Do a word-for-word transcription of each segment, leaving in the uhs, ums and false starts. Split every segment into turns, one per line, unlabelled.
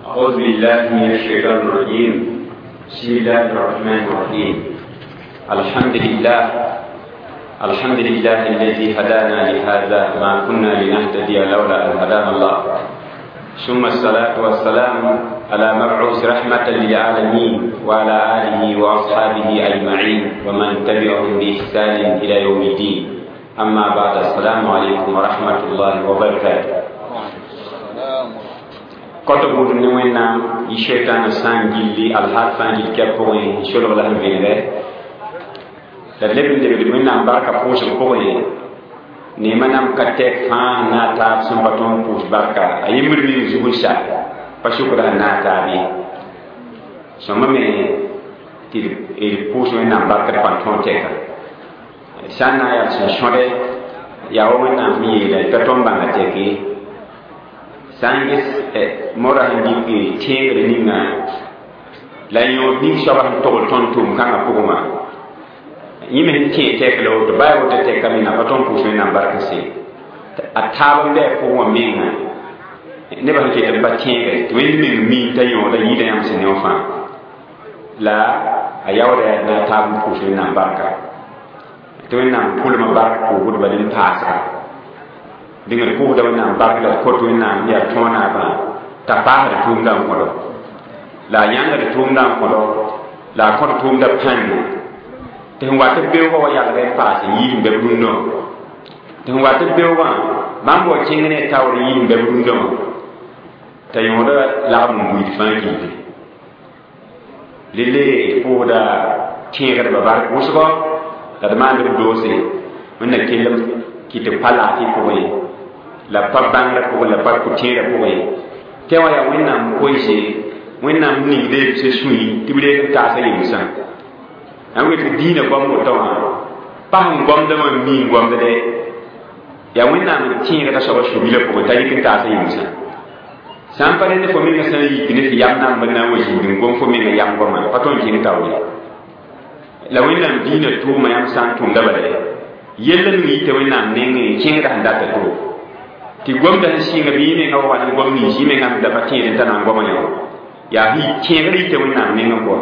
أعوذ بالله من الشيطان الرجيم. بسم الله الرحمن الرحيم. الحمد لله، الحمد لله الذي هدانا لهذا، ما كنا لنهتدي لولا أن هدانا الله. ثم الصلاة والسلام على مبعوث رحمة للعالمين وعلى آله وأصحابه أجمعين ومن تبعهم بإحسان إلى يوم الدين. أما بعد، السلام عليكم ورحمة الله وبركاته. Koto buud ne wẽnnaam yɩ shɛtãana sã n gilli alhaal fãa gil kɛp pʋgẽ n solg la sẽn vẽnegɛ la d leb n lebd wẽnnaam barka pʋʋsg pʋgẽ neemã nam ka tɛk fãa sẽn na a taab sẽn pa tõog n pʋʋs barka a yembr meng zug n sa pa sʋkda sẽn na a taab ye sõma me tɩ d pʋʋs wẽnnaam barka d pa tõog tɛka sã n na n yaa sẽn sõde yaa wa wẽnnaam sẽn yeela t'a tõnd bãnga tɛk ye sã n ges mora sẽn dɩk tẽegr ninga la yõod ning soaba sẽn togl tõnd tʋʋm-kãngã pʋgẽ wã yẽ me sẽn tẽeg tɛk la woto baa woto tɛka menga pa tõnd pʋʋs wẽnnaam bark se a taab n bɩ a pʋgẽ wã menga nebã sẽn ket n pa tẽegre tɩ wẽnd meng mi t'a yõoda yɩɩda yãmb sẽn ne wã fãa la a yaooda yaa na a taab n pʋʋs wẽnnaam barka tɩ wẽnnaam pʋlmã bark pʋʋsdba ne n paasga dẽng d pʋʋsda wẽnnaam bark la d kot wẽnnaam yaa tõog naabã t'a paasd tʋʋmdã n kõdo la a yãngd tʋʋmdã n kõdo la a kõt tʋʋmdã pãnde tɩ sẽn wat b beoogã wa yalg n paas n yiis n bɛ b rũndã wã tɩ sẽn wat b beoogã bãmb wa kẽng ne taoor n yiis n bɛ b rũndã wã t'a yõoda lagm n buiid fãa gilli rele d pʋʋsda tẽegdbã bark wʋsgɔ la d maand b doose wẽnna kellem kɩ tɩ pa laafɩ pʋgẽ la pa bãngrã pʋgẽ la pa pʋ-tẽerã pʋgẽ tɩ wã yaa wẽnnaam koeese wẽnnaam ningda b sã sũy tɩ b reeg n taasa yemsã n wet dĩinã goam woto wã pa sẽn goamdã wã n mi n goamdde yaa wẽnnaam n tẽegda soaba su-bilã pʋgẽ t'a yik n taasa yemsã sã n pa rẽnd fo menga sã n yik ne tɩ yam namb n na n wa zĩnd n gom fo menga yam goamã pa tõnd kẽng taoor ye la wẽnnaam dĩinã tʋʋma yãmb sã n tʋmda bala yell ning yita wẽnnaam nengẽ kẽngda sẽn data to tɩ gomda sẽn sɩnga bɩ yẽ menga wa ne gom nins yẽ menga da pa tẽed n t'a na n goamã yã yaa tẽegr yita wẽnnaam nengẽ pʋga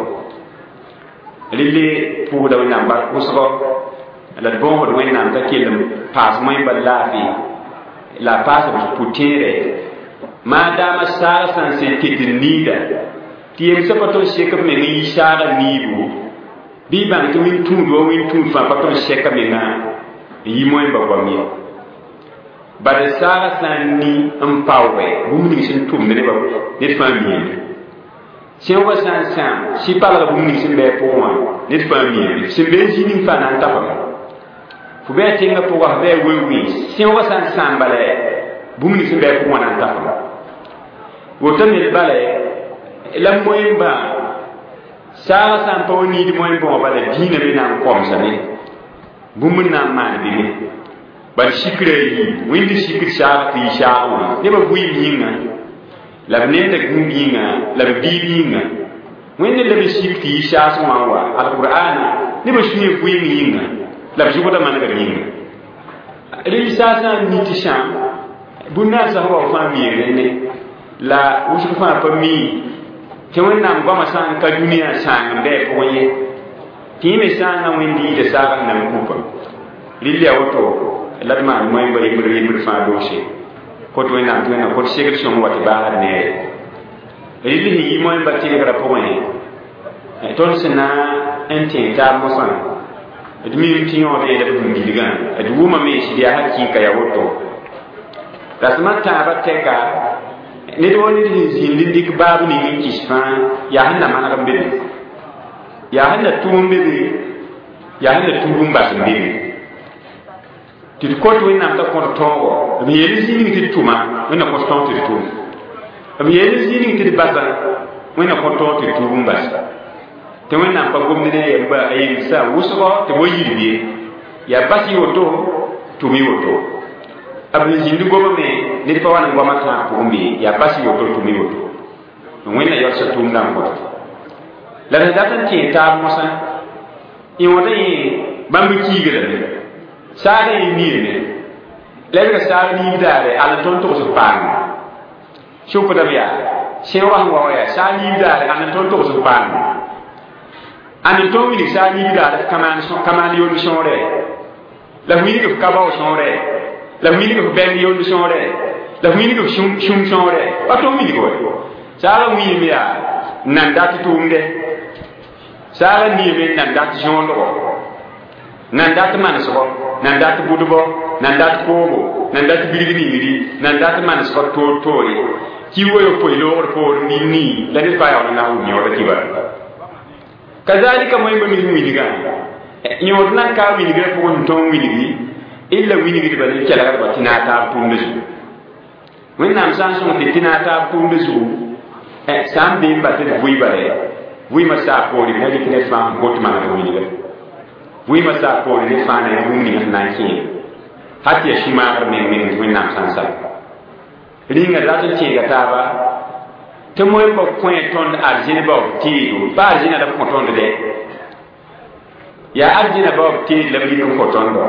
relle pʋʋsda wẽnnaam bark wʋsgɔ la d bõosd wẽnnaam t'a kell n paas moẽmba laafɩ la a paas b pʋ-tẽerɛ maadaama saag sã n sẽn ket n niida tɩ yemsã pa tõnd sek b meng n yi saagã niibu bɩ y bãng tɩ wẽn-tũud wa wẽn-tũud fãa pa tõnd sɛka menga n yi moẽmba goam ye bad saagã sã n ni n paooge bũmb ning sẽn tʋmd nebã ned fãa miime sẽoogã sã n sãam sɩ-palga bũmb ning sẽn bɩ a pʋgẽ wã ned fãa miime sẽn be n zĩ ning fãa na n tafame fo bɩ a tẽngã pʋga fo bɩ a weu-wẽ sẽoogã sã n sãam bala bũmb ning sẽn bɩ a pʋgẽ wã na n tafame woto me bala la moẽmbã saagã sã n pa wa niid moẽmbã wã bala dĩinã me na n kõmsame bũmb n na n maan bɩme bal sikra yiib wẽnd sikr saag tɩ yɩ saag wã nebã vɩɩm yĩnga la b nenda gũub yĩnga la b biib yĩnga wẽnd la b sik tɩ yɩ saas wã n wa alqur'ana nebã sũyã vɩɩm yĩnga la b zʋgda manegr yĩnga rel saasã n ni tɩ sãam bũn-naasã sẽn wa fãa miig rẽnne la wʋsg fãa pa mii tɩ wẽnnaam goamã sã n ka dũniyã sãang n bɩ a pʋgẽ ye tɩ yẽ me sãangã wẽnd yɩɩda saagã sẽn na n kupa rɩl yaa woto la d maan moẽmba yembr yembr fãa doose kot wẽnnaam tɩ wẽnnaam kot segd sõng wa tɩ baasd neere rɩl sẽn yi moẽmba tẽegrã pʋgẽ tõnd sẽn na n tẽeg taab mosã d miim tɩ yõod yeela b bũmb-bilgã d wʋmame sɩd yaa hakɩɩka yaa woto rasmã tãabã tɛka ned wa ned sẽn zĩnd n dɩk baab ning n kɩs fãa yaa sẽn na maneg n be be yaa sẽn na tʋm n be be yaa sẽn na tuub n bas n be be tɩ d kot wẽnnaam t'a kõt tõogo b yeel zĩ ning tɩ d tʋma wẽnna kõt tõog tɩ d tʋm b yeel zĩ ning tɩ d basa wẽnna kõt tõog tɩ d tuub n bas tɩ wẽnnaam pa gomd ne a yemba a yemsa wʋsgɔ tɩ wa yirb ye yaa bas y woto tʋm y woto b sẽn zĩnd gomame ned pa wa n goamã tãag pʋgẽ be yaa bas y woto tʋm y woto wẽnna yaoolsa tʋʋmdã n kõt la d dat n tẽeg taab mosã yõoda yẽ bãmb kiigrame saagã yẽ niime la b ra saag niib daare al n tõnd togs paame sʋkdame yaa sẽoogã sẽn wa wa yaa saa niib daare ãnd n tõnd togs f paam ãnd n tõnd wilg saa niib daare f ka maan yond sõore la f wilg f ka bao sõore la f wilg f bɛng yond sõore la f wilg f sũm sõore pa tõnd wilg wa saagã wiime yaa nan dat tʋʋmde saagã niime n nan dat zõondgo nan dat manesgo nan dat bʋdbɔ nan dat koobo nan dat bilg ningri nan dat manesgo toor toore kiuga yopoe loogr poor nin-nii la ned fãa yaool n na n wʋm yõoda kibara kazalika moẽmba mis wilgã yõod nan ka wilgrã pʋgẽ sẽn tõog wilgi illa wilgdba ne kelgdba tɩ naag taab tʋʋmda zugu wẽnnaam sã n sõng tɩ tɩ naag taab tʋʋmda zugu sã n bee n ba tɩ d vʋɩ bale vʋɩɩmã saa poore b na rɩk ned fãa sẽn kot manegd wilga vʋɩɩmã saa poore ned fãa na yaa bũmb ning sẽn na n kẽem hal tɩ yaa sũ-maagr meng meng tɩ wẽnnaam sã n sak rĩnga rat n tẽega taaba tɩ moẽmba kõ tõnd arzẽn baoob teedo pa arzẽna la b kõ tõnd dɛ yaa arzẽna baoob teed la b rɩk n kõ tõndo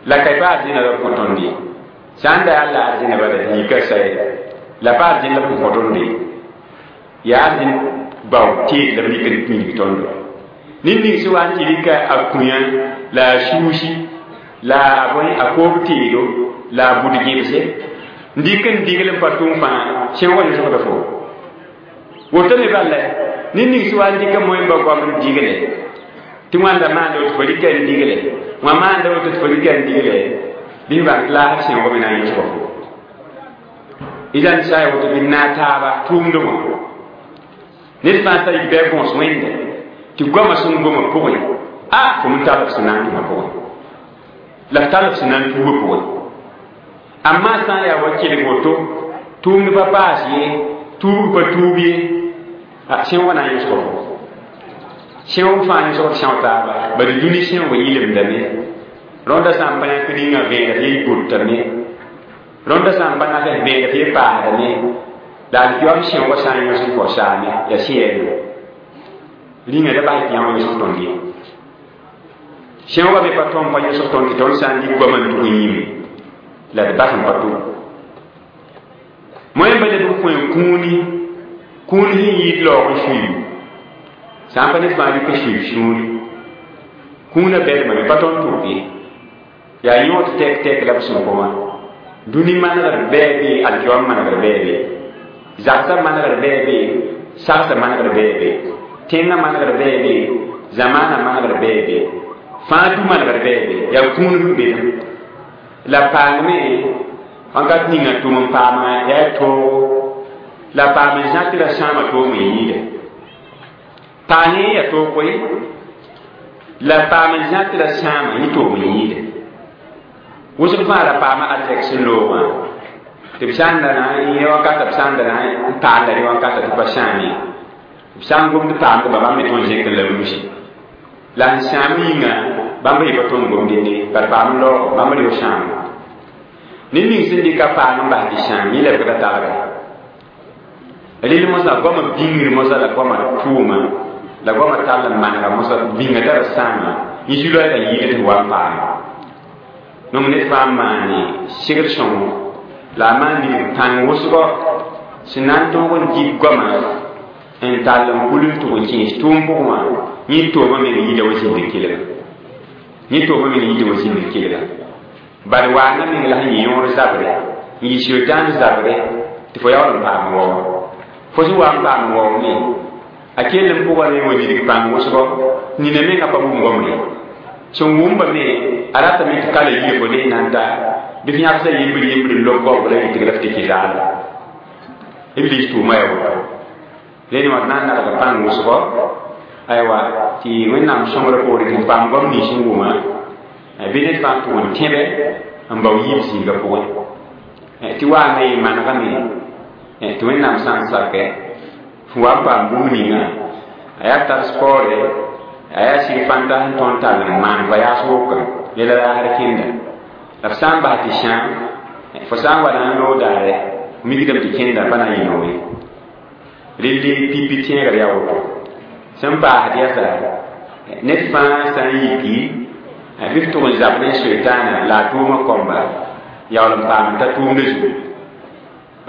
la ka pa arzẽna la b kõ tõnd ye sã n da yaa la arzẽna bala tɩ yika saye la pa arzẽn la b kõ tõnd ye yaa arzẽn baoob teed la b rɩk n wilg tõndo ned ning sẽn wa n tɩ rɩka a kũyã la a suusi la a bõe a koob teedo la a bʋd gẽbse n dɩk n digl n pa tʋʋm fãa sẽoogã yõsgda fo woto me bala ned ning sẽn wa n dɩka moẽmba goam n digle tɩ wãnda maanda woto fo rɩka n digle wã maanda woto tɩ fo rɩka n digle bɩ f bãng tɩ laasg sẽoogã me na n yõsga fo idan sa ya woto bɩ naag taaba tʋʋmdẽ wã ned fãa t'a yik bɩ a gõs wẽnde tɩ goamã sẽn goma pʋgẽ a fo m tall f sẽn na n tʋmã pʋgẽ la f tall f sẽn na n tuubã pʋgẽ amma sã n yaa wa kelg woto tʋʋmd pa paas ye tuubg pa tuub ye sẽoogã na n yõsga fo sẽoog fãa yõsgd sẽo taaba bari dũni sẽoog yɩlemdame rõnda sã n pa yãk rĩngã vẽeneg tɩ y gotame rõnda sã n pa nak vẽeneg tɩ y paasdame la alkiyoam sẽoogã sã n yõsg n kao saame yaa sẽɛɛme rĩngã da bas tɩ yã wã yõsg tõnd ye sẽoogã me pa tõm pa yõsg tõnd tɩ tõnd sã n dɩk goamã n tug n yĩme la d bas n pa tʋm moẽmba leb n kõ kũuni kũun sẽn yɩɩd laoog n suiib sã n pa ned fãa rɩk n suiib sũuri kũunã bɛdmame pa tõnd tʋk ye yaa yõod tɛk tɛk la b sẽn kõ wã dũni manegr bɛɛ be alkiyoam manegr bɛɛ be zagsã manegr bɛɛ be sagsã manegr bɛɛ be tẽngã manegr bɛɛ be zamaanã manegr bɛɛ be fãa du manegr bɛɛ be yaa kũun sẽn be la paangme wãnkat ninga tʋm n paama yaa toogo la paam n zã tɩ ra sãama toom n yɩɩda paane yaa toog koe la paam n zã tɩ ra sãama yẽ toom n yɩɩda wʋsg fãa ra paama arzɛk sẽn loogã tɩ b sã n da na n yẽ wakata b sã n da na n paanda rẽ wakata tɩ pa sãam ye b sã n gomd paamdba bãmb me tõnd zẽk n la b nusi la sẽn sãam yĩnga bãmb yɩ pa tõnd gomd ne bad paam n laoog bãmb reo sãam ned ning sẽn dɩka paam n bas tɩ sãam yẽ lebgda talga rel mosã goamã bĩngr mosã la goamã tʋʋma la goamã tall n manega mosã bĩnga tara sãama yẽ zu-loɛɛgã yɩɩd tɩ wa n paama donc ned fãa n maane segd sõngo la a maan ning pãng wʋsgɔ sẽn na n tõog n dɩk goamã n tall n kul n tʋg n kẽes tʋʋm pʋgẽ wã yẽ toomã meng yɩɩda wa zĩnd n kelga yẽ toomã meng yɩɩda wa zĩnd n kelga bad waanga meng la sẽn yɩ yõor zabre n yɩ sʋɩtãan zabre tɩ fo yaool n paam wao fo sẽn wa n paam wao me a kell n pʋga me wa nidg pãng wʋsgɔ nina menga pa wʋm gomre sẽn wʋmba me a ratame tɩ kala yire fo ne nan ta bɩ f yãgsa yembr yembr n lob goabg la yɩtg la f tɩ kɩ zaala iblis tʋʋma ya woto rẽnd wã d na n nagda pãng wʋsgɔ aywa tɩ wẽnnaam sõngrã poore tɩ paam goam nins n wʋma bɩ ned fãa tʋg n tẽbe n bao yiib zĩigã pʋgẽ tɩ waanga yɩ manegame tɩ wẽnnaam sã n sakɛ f wa n paam bũmb ninga a yaa tar spɔɔre a yaa sig fãnta sẽn tõnd tall n maan voyage wʋka yɛla raasd kẽnda la f sã n bas tɩ sãam fo sã n wa na n loog daare mikdame tɩ kẽnda pa na n yɩ noog ye relle pipi tẽegr yaa woto sẽn paasd yasa ned fãa sã n yiki bɩ f tʋg n zab ne soɩtaana la a tʋʋmã kõmba yaool n paam t'a tʋʋmda zugu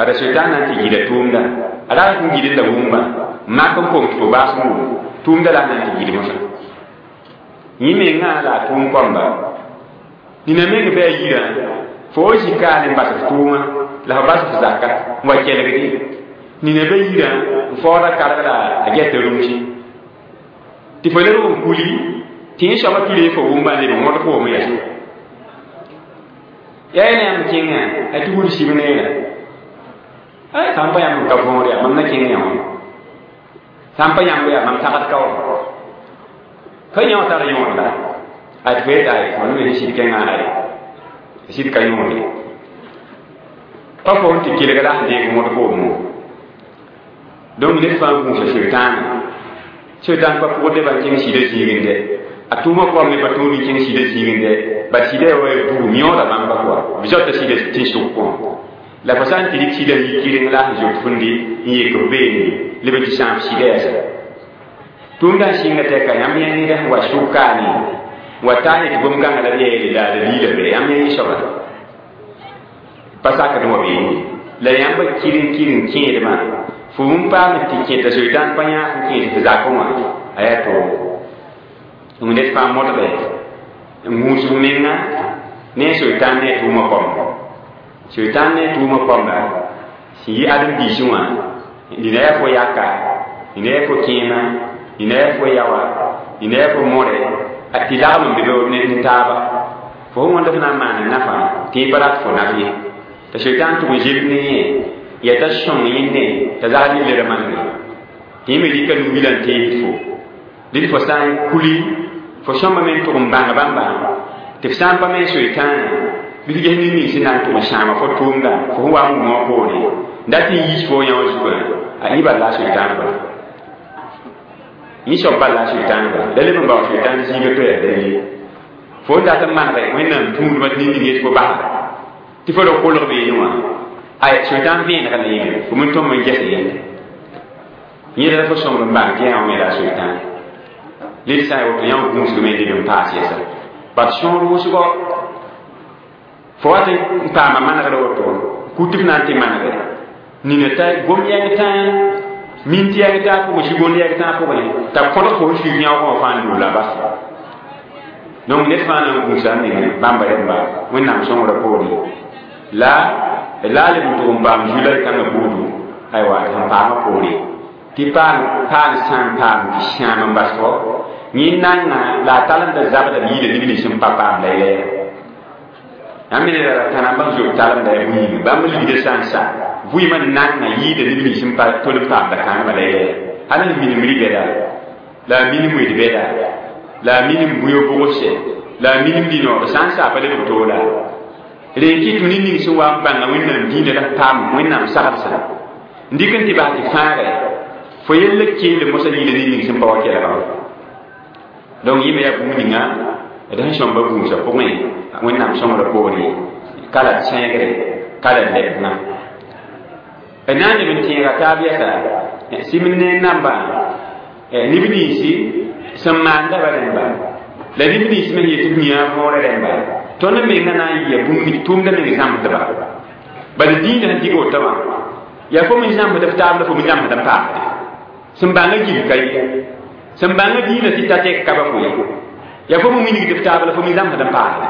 Bala sʋɩtãan na n tɩ gɩda tʋʋmda a ra n gɩd la wũmbã mak n kom tɩ fo baas n wʋm tʋʋmda la a na n tɩ gɩd mosã yẽ mengã la a tʋʋm kõmba nina meng bɩ a yirã fo wa zĩ kaane n bas f tʋʋmã la f bas f zaka n wa kelgdi nina be yirã n faooda karg la a gɛta rũmsi tɩ fo lebg n kuli tɩ yẽ soaba tʋ fo wʋmbã n leb n wõd foom yɛs yaa ne yãmb kẽngã a tɩ wud sib neerã ay sãn pa yãmb n ka võor yaa mam na kẽng yã wã sãn pa yãmb yaa mam tagd ka wã ka yã wã tar yõod la a tɩ fo yeta ay fo me sɩd kẽngã ay sɩd ka yõod ye pa fo n tɩ kelg la sẽn deeg wõd foom donc ned fãa gũusa sʋɩtãana sʋɩtãan pa pʋgd nebã n kẽng sɩdã zĩigẽ a tʋʋmã koam ne pa tõod n kẽng sɩdã zĩigẽ bat sɩdã wa bugum yõoda bãmba kɔa b zoata sɩdã tẽn-sʋk kõ la fo sã n tɩ rɩk sɩdã n yi kɩreng la sẽn zoet fũndi n yek b beene leb n tɩ sãam sɩdã yɛsa tʋʋmdã n sɩnga tɛka yãmb yã ned sẽn wa sʋk kaane wa taa yetɩ gom-kãngã la b yeele la d liila be yãmb yã yẽ soaba pa sakd n wa beene la yãmba kɩreng kɩreng kẽedmã fo n paam tɩ kẽta sʋɩtãan pa yãag n kẽes f zakẽ wã a yaa toog ned fãa modge n gũus f menga ne sʋɩtãan ne a tʋʋmã kõmba sʋɩtãan ne a tʋʋmã kõmba sẽn yɩ ãdem-biisẽ wã nina yaa fo yaka nina yaa fo kẽema nina yaa fo yaoa nina yaa fo more tɩ lagm n be be ne taaba fo sẽn wãnd f na n maan nafa tɩ pa rat fo naf ye t'a sʋɩtãan tʋg n zeb ne yẽ yaa t'a sõng yẽnde t'a zagd yelle ra manege tɩ yẽ me rɩka nubila n teesd fo dɩd fo sã n kuli fo sõmba me n tʋg n bãng bãmba tɩ f sã n pa me soɩtãana bɩ f ges ned ning sẽn na n tʋg n sãama fo tʋʋmda fo sẽn wa n wʋmã poore dat n yiis fo yã wã zugã a yẽ bal la a soɩtãan bala yẽ soab bal la a soɩtãan bala la leb n bao soɩtãan zĩiga to yaa dalile fo n dat n manege wẽnnaam tũudmã tɩ ned ning yet fo basda tɩ fo ra kolg beene wã ay soɩtãan vẽenega la yẽme fo me tõm n ges yẽnda yẽda la fo sõmb n bãng tɩ yã wã me la a soɩtãan led sã n woto yã wã gũusgame leb n paas yɛsa bat sõor wʋsgɔ fo wat n paama manegr woto ku tɩ f na n tɩ manege nina t'a gom yɛng tãa mint yɛng tãa pʋgẽ sugond yɛg tãa pʋgẽ t'a kõdg fo sũur yãoogã wã fãa n lola bas donc ned fãa na n gũusa n meng bãmba rẽmba wẽnnaam sõngrã poore la la a leb n tʋg n paam zu-la y kãngã buudu aywa sẽn paamã poore tɩ paam paam sã n paam tɩ sãam n bas fo yẽ nanga la a talemda zabda b yiida neb nins n pa paam la yɛla yãmb me neda ra tãna bãmb zob talemda ya bũyinga bãmb ligda sã n sa vʋɩɩmã nanga yiida neb nins n pa tol n paamda kãngma la yɛla hal n minim ribɛda la a minim wed bɛda la a minim bũyo bʋgse la a minim dĩnood sã n sa pa lebg toola rẽ kɩt tɩ ned ning sẽn wa n bãnga wẽnnaam dĩinã la paam wẽnnaam sagsã n dɩk n tɩ bas tɩ fãagɛ fo yell keel mosã yĩla ned ning sẽn pa wa kelga donc yẽ me yaa bũmb ninga d sẽn sõmba gũusã pʋgẽ wẽnnaam sõngrã poore ka la sẽegre ka la lebgã d na n leb n tẽega taab yɛsa sɩm ne nambã neb ninsi sẽn maanda ba rẽmba la neb nins me yetɩ b yã võorã rẽmba tõnd menga na n yɩa bũmb tʋʋmda meng zãmsdba bala dĩinã sẽn dig woto wã yaa fo me zãmsd f taab la fo me zãmsd n paamde sẽn bãngã gil ka ye sẽn bãngã dĩinã tɩ ta tɛk ka ba fo ye yaa fo me wilgd f taab la fo me zãmsd n paamde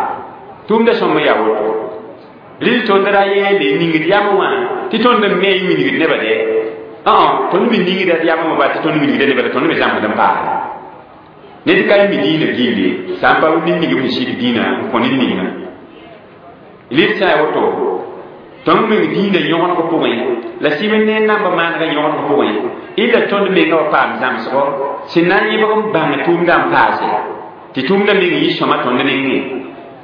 tʋʋmda sõm yaa woto rɩl tõnd ra yeele ningd yam wã tɩ tõnd n me n wilgd nebã dɛ tõnd me ningda yam wã ba tɩ tõnd wilgda nebã la tõnd me zãmsd n paamde ned ka mi dĩinã gilli sã n pa ned ning b sẽn sik dĩinã n kõ ned ninga rɩl sã n woto tõnd meng dĩinã yõgeneg pʋgẽ la sɩm ne namba maanegã yõgeneg pʋgẽ illa tõnd menga wa paam zãmsgɔ sẽn na n yẽbg n bãng tʋʋmdã n paase tɩ tʋʋmdã meng yɩ sõma tõnd nengẽ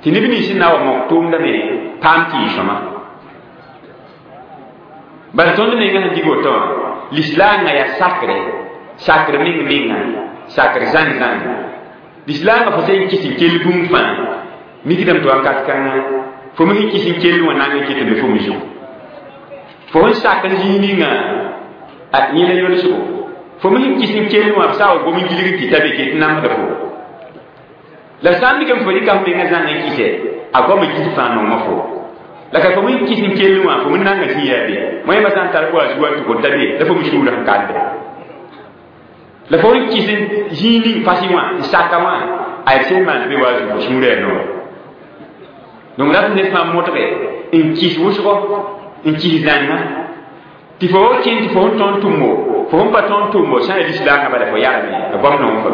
tɩ neb nins sẽn na wa mok tʋʋmdã me paam tɩ yɩ sõma bala tõnd menga sẽn dig woto wã lislaangã yaa sakre sakr meng menga sakr zãng zãng lislaangã fo sẽn kɩs n kell bũmb fãa mikdame tɩ wakat kãngã fo me sẽn kɩs n kell wã nang n ket n be fo me zugu fo sẽn sak n zĩig ninga a yẽ la yolsgo fo me sẽn kɩs n kell wã b sa wa gom n gilg tɩ ta be ket n namsda fo la sã n dɩk n fo rɩka f menga zãng n kɩsɛ a goam n gis fãa nongã fo La ka fo min kis n kell wã fo min nanga zĩ yaa be wẽnnaamã sã n tar wa zu wa n tʋg n ta be la fo mi sũurã sẽn kande la fo n kis n zĩig ning fasɩ wã n saka wã a b sẽn maan be wa zu fo sũurã yaa noor donc rat ned fãa modge n kis wʋsgo n kis zãnga tɩ fo kẽn tɩ fo sẽn tõnd tʋmbo fo sẽn pa tõnd tʋmbo sã n yaa lislaangã bala fo yagame goam noog fo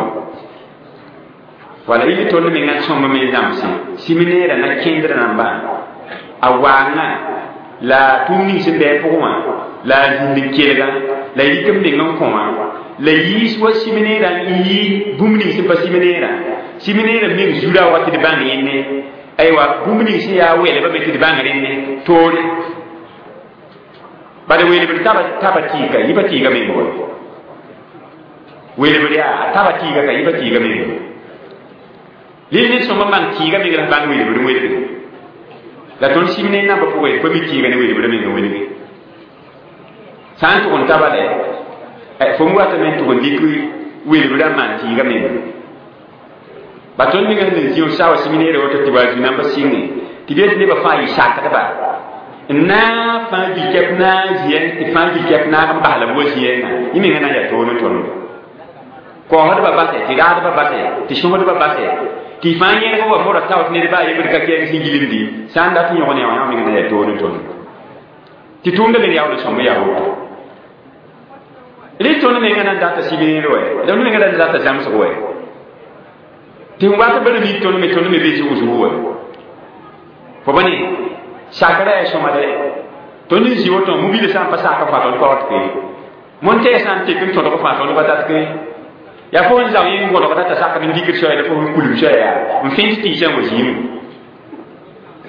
wala ili tõnd mengã sõmb me zãmsẽ sɩm-neerã na kẽndrã nambã a waangã la tʋʋm ning sẽn bɩ a pʋgẽ wã la a zĩnd n kelgã la yik n meng n kõ wã la yiis wa sɩm-neerã n yi bũmb ning sẽn pa sɩm-neerã sɩm-neerã meng zura wa tɩ d bãng yẽnne aywa bũmb ning sẽn yaa wɛlbã me tɩ d bãng rẽnne toore bala welbd taba taba tɩɩga yɩba tɩɩga meng wa welbd yaa a taba tɩɩga ka yɩba tɩɩga meng lel ned sõma maan tɩɩga meng la bãng welbd n welge la tõnd sɩm ne nambã pʋgẽ pa mi tɩɩga ne welbd meng n welge sã n tʋg n taba lɛ fo m watame n tʋg n dɩk welbd n maan tɩɩga meng ba tõnd ninga sẽn zĩ sa wa sɩm neerã woto tɩ wa zu namba sɩnge tɩ b yet nebã fãa yɩ sakdba n naag fãa gil-kɛp naag zĩɛ tɩ fãa gil-kɛp naag n bas la b wa zĩɛngã yẽ menga na n yaa toor n tõnd koosdbã basɛ tɩ raadbã basɛ tɩ sõsdbã basɛ tɩ fãa yẽlg wa mora tao tɩ ned baa yembd ka kɛɛg sẽn gilmdi sã n dat n yõg ne wã yã menga na yaa toor n tõnd tɩ tʋʋmda me yaool n sõmb yaa woto rɩ tõnd menga na n data sɩm-neer wɛ tõnd menga na n data zãmsg wɛ tɩ f wat bala mik tõnd me tõnd me be zʋg-zʋg wɛ fo ba ne sakra yaa sõma dɛ tõnd n zĩ woto mobile sã n pa sak fãa tõnd pa wat ke montɛɛ sã n tek n tõdg fãa tõnd pa tat ke yaa fo n zao yẽ n gõdgda t'a sakd n dikd soɛɛ la fo n kulg soɛɛ yaa n fẽnd tɩɩsã n wa zĩime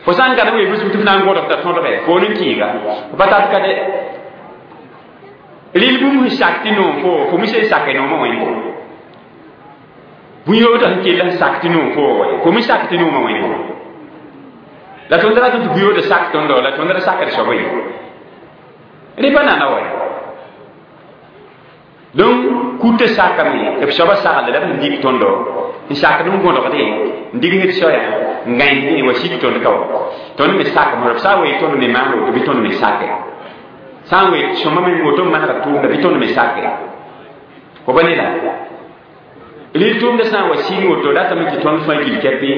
fo sã n gad n weeb zug tɩ f na n gõdg t'a tõdgɛ fo n kɩɩga fo pa tat ka dɛ rɩl bũmb sẽn sak tɩ noom fo fo mi sẽn sake noomã wẽnde bũn-yoodã sẽn kell sẽn sak tɩ noom fo wɛ fo mi sak tɩ noomã wẽnde la tõnd rat tɩ bũn-yoodã sak tõndo la tõnd ra sakd soab ye rẽ pa nana wɛ donc kutã sakame b soabã sagl la b sẽn dɩk tõndo n sakd n gõdgdẽ n digsd soaya n gãensdẽ wa sik tõnd ka wa tõnd me sakame b sã n wee tõnd me maan woto bɩ tõnd me sake sã n wee sõma me woto n manega tʋʋmda bɩ tõnd me sake fo ba ne la rɩl tʋʋmdã sã n wa sɩng woto ratame tɩ tõnd fãa gil-kɛpɩ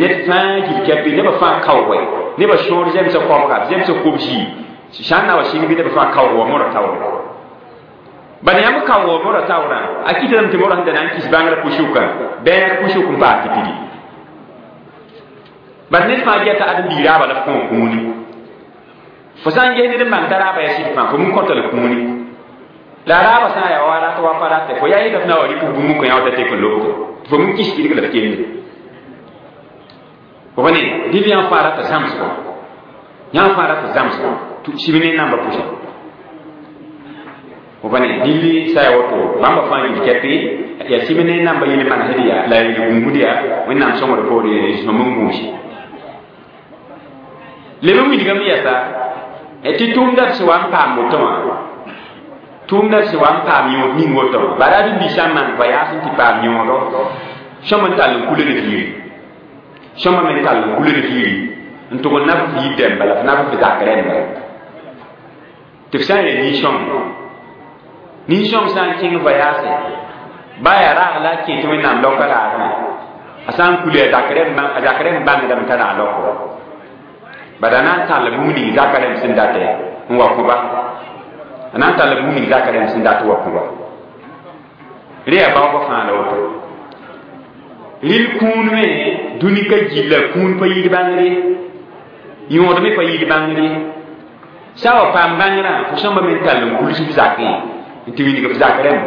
ned fãa gil-kɛpɩ nebã fãa kaoogɛ nebã sõor zemsã kobga zemsã kobsi sã n na wa sɩng bɩ nebã fãa kaoog wa mora taoore bala yãmb kaoog mora taoorã a kɩtame tɩ mora sẽn da na n kis bãngrã pʋsʋka bɛɛg pʋsʋk n paas tɩ pidi bala ned fãa geta ãdem-biig raaba la f kõo kũuni fo sã n ges ned n bãng t'a raaba yaa sɩd fãa fo min kõta la kũuni la raaba sã n yaa wa rat wa pa rate fo yaa yeta f na wa rɩk bũmb n kõ yã wa ta tek n lobto tɩ fo min kis kɩdg la f kende fo pa ne dɩl yãmb fãa rata zãmsgo yãmb fãa rata zãmsgo sib ne namba pʋsẽ fo pa ne dɩl sã yaa woto bãmba fãa yil kɛpɩ yaa sib ne namba yel manesd yaa la yel gũusd yaa wẽnnaam sõngd poore sõm n gũusi leb n wilgame yɛsa tɩ tʋʋmda b sẽn wa n paam woto wã tʋʋmda b sẽn wa n paam yõod ning woto wã bara ãdem-biig sã n maan voyage n tɩ paam yõodo sõm n tall n kulg fiiri sõma me n tall n kulg fiiri n tʋg n nab f yib dɛmba la f nab f zak rẽmba tɩ f sã n yaa nin-sõng nin-sõng sã n kẽng voyage ba yaa raag la a kẽ tɩ wẽnnaam laoka raagã a sã n kuli a zak rẽmb bãngdame t'a raag laoko bala na n tall bũmb ning zaka rẽmb sẽn datɛ n wa kõ-ba a na n tall bũmb ning zaka rẽmb sẽn dat wa kõ-ba rẽ yaa baoobã fãa la woto rɩl kũun me dũni ka gilla kũun pa yid bãngre yõod me pa yid bãngre sã wa paam bãngrã fo sõmba me n tall n kuls f zakẽ n tɩ wilg f zak rẽmb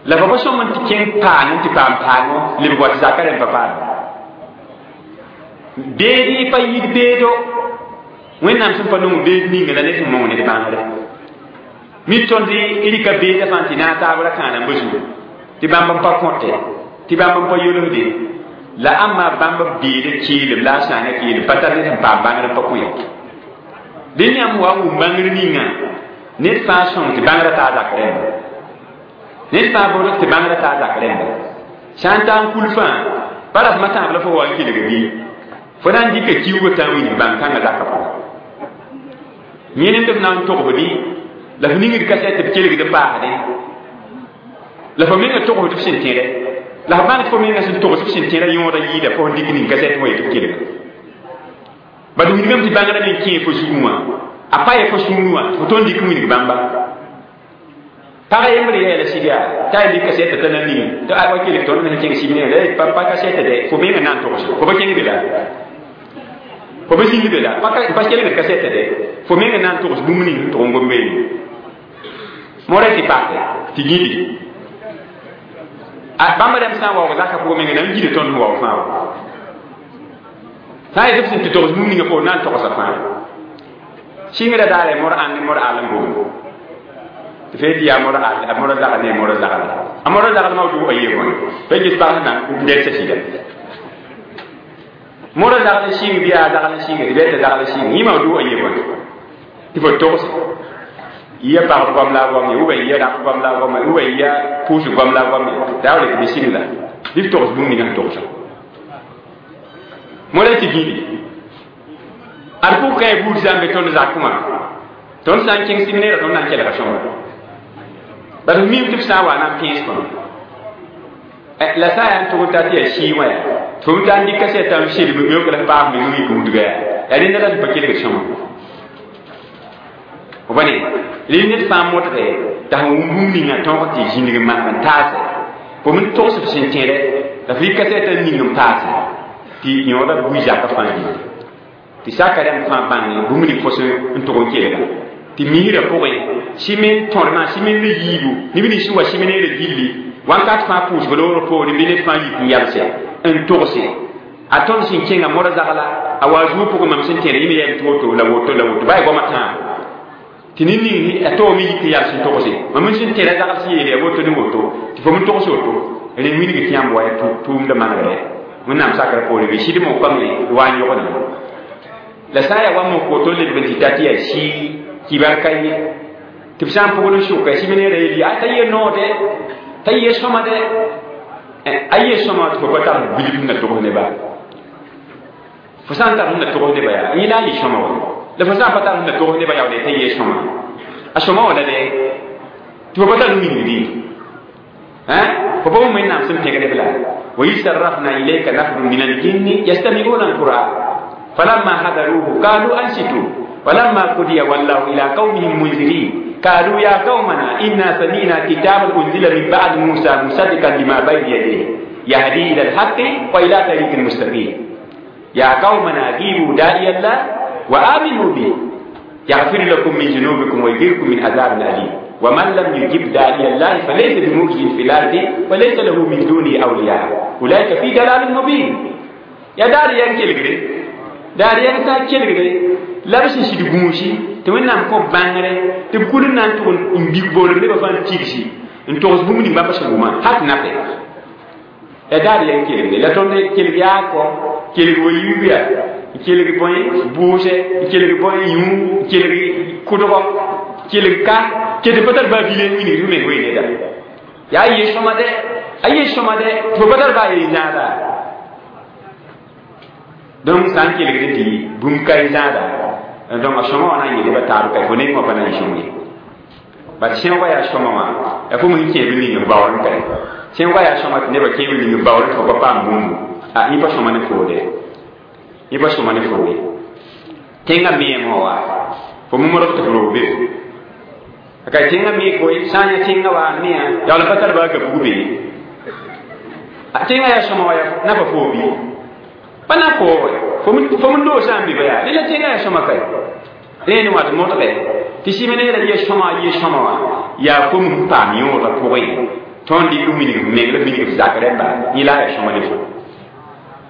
la fa pa sõm n tɩ kẽng paang n tɩ paam paango lebg wa tɩ zaka rẽmb pa paam beed pa yid beedo wẽnnaam sẽn pa nong beed ninga la ned sẽn mong ned bãngre mi tõnd rɩka beedã fãa tɩ naag taab ra kãana n ba zugu tɩ bãmb n pa kõte tɩ bãmb n pa yolsde la ãmba bãmb beedã keelem la a sãanga keelem pa tar ned sẽn paam bãngr n pa kõ ye dẽn yãmb wa n wʋm bãngr ninga ned fãa sõng tɩ bãngrã taa zak rẽmba ned fãa bʋdg tɩ bãngrã taa zak rẽmba sã n taa n kul fãa pa rasmã tãab la fo wa n kelg bɩ Fo na n dɩka kiuugã tã n wilg bãn-kãngã zakã pʋgã yẽnemd f na n togsdi la f ningd kasɛt tɩ b kelgd n paasdẽ la fo menga togsd f sẽn tẽdɛ la f bãng tɩ fo menga sẽn togs f sẽn tẽdã yõoda yɩɩda fo sẽn dɩk ning kasɛt wã yetɩ b kelga bad wilgame tɩ bãngrã me kẽe fo zugẽ wã a pa ye fo sũurẽ wã tɩ fo tõnd dɩk n wilg bãmba pag yembr yeela sɩd yaa t'a yen dɩk kasɛtã t'a na ning tɩ a wa kelg tõnd me sẽn kẽng sɩb ne la pa kasɛtã dɛ fo menga na n togs fo pa kẽng be la fo pa zĩnd be la pa kelgd kasɛtã dɛ fo menga na n togs bũmb ning sẽn tʋg n gom beene morɛ tɩ pake tɩ gĩdi bãmb rãmb sã n waoog zakã pʋgẽ menga na n gida tõnd sẽn waoog fãa wa sã n yetɩ b sẽn tɩ togs bũmb ninga poor na n togsa fãa sɩngrã daare mor ãnd ne mor al n gomd tɩ fee tɩ yaa mor al a mor zagl ne mor zagl a mor zagl ma woto a yee bõe pa ges pag sẽn na n dɛlsa sɩda mor zagl n sɩng bɩ yaa zagl n sɩnga tɩ bɩ t'a zagl n sɩng yẽ ma woto a yee bõe tɩ fo togse ya pagb goam la a goam ye ou bien ya rap goam la a goam ye ou bien ya pʋʋs goam la a goam ye daa wa tɩ bɩ sɩng la bɩ f togs bũmb ninga sẽn togsa mora tɩ gĩdi ad pʋg kãe buud sã n be tõnd zakẽ wã tõnd sã n kẽng séminaire tõnd na n kelga sõma bad f miime tɩ f sã n wa na n pẽes tõnd la sã n yaa n tʋg n ta tɩ yaa sɩɩ wã yaa tɩ fo ta n dɩk kasɛtã n selm yõk la f paas meng n yik wudga yaa yaa rẽnda la sẽn pa kelgd sõma bõne rẽ ned fãa modge t'a sẽn wʋm bũmb ninga tõog tɩ zĩnig n maneg n taase fo m togs f sẽn tẽdɛ la f yɩ kasɛtã ning n paase tɩ yõoda bui zakã fãa gilli tɩ saka rãmb fãa bãng bũmb ning fo sẽn n tʋg n kelga tɩ misrã pʋgẽ simen tõrmã simen la yiibu neb nins sẽn wa simeneerã gilli wãnkat fãa pʋʋsg loogr poore bɩ ned fãa yik n yalse n togse a tõnd sẽn kẽnga mora zagla a wa zuo pʋgẽ mam sẽn tẽeda yẽ me yɛl tɩ woto la woto la woto baa goamã tãabo tɩ ned ning a toogame yik n yals n togse mam n sẽn tẽeda zagl sẽn yeele ya woto ne woto tɩ fo m togs woto rẽ wilg tɩ yãmb wa ya tʋʋmdã manegre wẽnnaam sakrã poore bɩ sɩd mokame wa n yogd la sã n yaa wa mok woto leb n tɩ ta tɩ yaa sɩ kibar ka ye tɩ b sã n pʋgd n sʋka sɩm-neerã yeel yaa t'a yee noode t'a yee sõma de a yee sõma tɩ fo pa tar bilf n na togs neba fo sã n tar sẽn na togs neba yaa yẽ la a yɩ sõma wa la fo sã n pa tar sẽn na togs neba yaoole t'a yee sõma a sõma wã la de tɩ fo pa tar wilgdi fo pa wʋm wẽnnaam sẽn pẽgd b la وإذ صرفنا إليك نفر من الجن يستمعون القرآن فلما حضروه قالوا أنصتوا ولما قضي ولوا إلى قومهم منذرين قالوا يا قومنا إنا سمعنا كتابا أنزل من بعد موسى مصدقا لما بين يديه يهدي إلى الحق وإلى طريق مستقيم يا قومنا أجيبوا داعي الله وآمنوا به يغفر لكم من ذنوبكم ويجيركم من عذاب أليم ومن لم يجب داعي الله فليس بمعجز في الأرض وليس له من دونه أولياء أولئك في ضلال مبين يا دار ينكل daar yɛng sã n kelgde la b sẽn sɩd gũusi tɩ wẽnnaam kõ bãngre tɩ b kul n na n tʋg n big boolem nebã fãa n tigsi n togs bũmb ning bãmb sẽn wʋmã hat nape ya daar yɛng kelgde la tõnd kelg yaa kɔ kelg wa yiibu yaa n kelg bõe bʋʋsɛ n kelg bõe yũ n kelg kʋdgɔ kelg ka ket pa tar baa vile n wilgd f meng wee neda yaa a yee sõma dɛ a yee sõma dɛ tɩ fo pa tar baa yee zãada donc sã n kelgd tɩ bũmb ka y zãada donc a sõma wã na n yeel ba taab ka fo neng wã pa na n sõm ye bat sẽoogã yaa sõma wã yaa fo sẽn kẽeb ning n baoor n kae sẽoogã yaa sõma tɩ nebã kẽeb ning n baoor tɩ fo pa paam bũmbu a yẽ pa sõma ne foode yẽ pa sõma ne fo ye tẽngã meem wã wa fo momrg tɩ f roog be ka tẽngã me koe sã n yã tẽngã wa n mea yaool pa tar baa ka bug be tẽngã yaa sõma wa yaa nafa foo bɩ pa na koore fo m loog sã n be ba yaa rẽ la tẽngã yaa sõma kae rẽnd wã tɩ modge tɩ sɩm-neerã ye sõma ye sõma wã yaa fo m paam yõodã pʋgẽ tõnd dɩk n wilg meng la wilg f zak rẽmba yẽ la a yaa sõma ne fo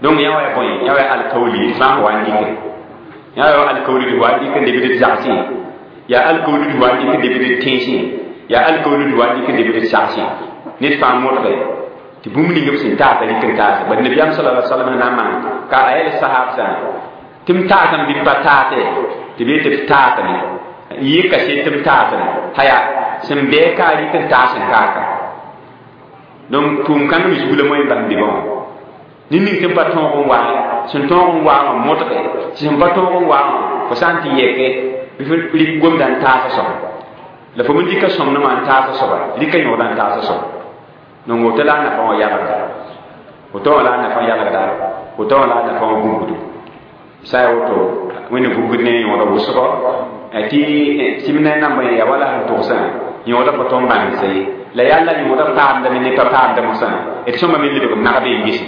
donc yã wa ya bõe yã wa ya alkaooli fãa wa n dɩke yã wa alkaooli d wa n dɩk n lebd d zagsẽ yaa alkaooli d wa n dɩk n lebd d tẽesẽ yaa alkaooli d wa n dɩk n lebd d sagsẽ ned fãa modge tɩ bũmb ning b sẽn taata rɩk n taasa bad nabiyaam sala alai salam na n maan ka a yɛl sahabsã tɩ m taasame bɩ m pa taate tɩ b yetɩ f taatame yɩ kaset tɩ m taasame haya sẽn bɛɛ ka a rɩk n taas n kaaka donc tʋʋm kãngã me zug la moẽ bãmb bɩbã wã ned ning tɩ m pa tõog n wa sẽn tõog n waa wã modge tɩ sẽn pa tõog n waa wã fo sã n tɩ yɛke bɩ f rɩk gomda n taasa soaba la fo me dɩka sõmnemã n taasa soaba rɩka yõoda n taasa soaba donc woto la a nafã wã yalgda woto wã la a nafã yalgda woto wã la a nafã wã gũbgdo sã ya woto wẽnna gũbgd ne yõoda wʋsgɔ tɩ sɩm ne nambã ya wala sẽn togsã yõoda pa tõnd bãngsa ye la yalla yõoda paamdame ne pa paamda mosã d sõma me lebg nagbe n gese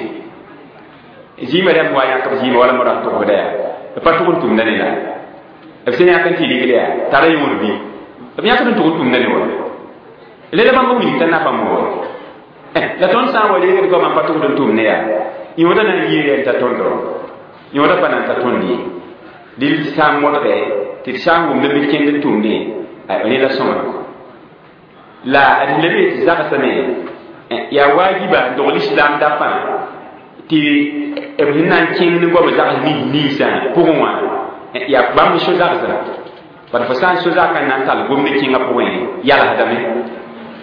zĩimã rãmb wa yãk b zĩima wala modã n togsda yaa b pa tʋg n tʋmda ne la b sẽn yãk n tɩ rigl yaa tara yõod bɩ b yãkd n tʋg n tʋmda ne wa leda bãmb wilg t'a nafã mo wa la tõnd sã n wa reegd goamã n pa tʋgd n tʋm ne yaa yõoda na n yɩɩra n ta tõndo yõoda pa na n ta tõnd ye dɩl sã n modge tɩ d sã n wʋmd b kẽnd n tʋmde rẽ la sõma la d lebe tɩ zagsame yaa waajiba n dogl islam dafã tɩ b sẽn na n kẽng ne goam zags nins ninsã pʋgẽ wã yaa bãmb so zagsã bad fo sã n so zakã na n tall gomd kẽngã pʋgẽ yalsdame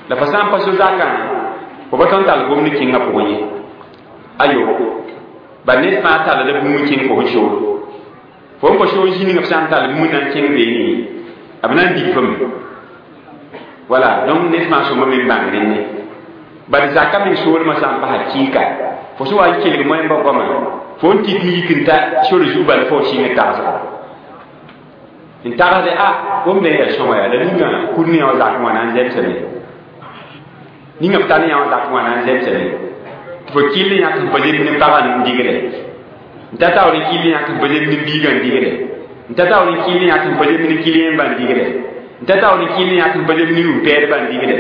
la fo sã n pa so zakã fo pa tõnd tall gomd kẽngã pʋgẽ ye ayo bad ned fãa tallda bũmb kẽng fo sẽn sool fo n pa sool zĩningã f sã n tall bũmb na n kẽng beene b na n dig fame voilà donc ned fãa sõma me n bãng rẽnne bad zakã meng soolmã sã n pasa kɩɩka fo sẽn wa n kelg moẽmbã goamã fo n tik n yik n ta sor zug bala fo sɩng n tagsga n tagsde a gomdã yaa sõma yaa la ninga kur ne yã wã zak wã na n zemsame ninga b tar ne yã wã zak wã na n zemsame tɩ fo kɩll yãk sẽn pa zemb ne pagã n digle n ta taoor n kɩll yãk sẽn pa zemb ne biigã n digle n ta taoor n kɩll yãk sẽn pa zemb ne kiliyẽmbã n digle n ta taoor n kɩll yãk sẽn pa zemb ne nu-pɛɛdbã n digle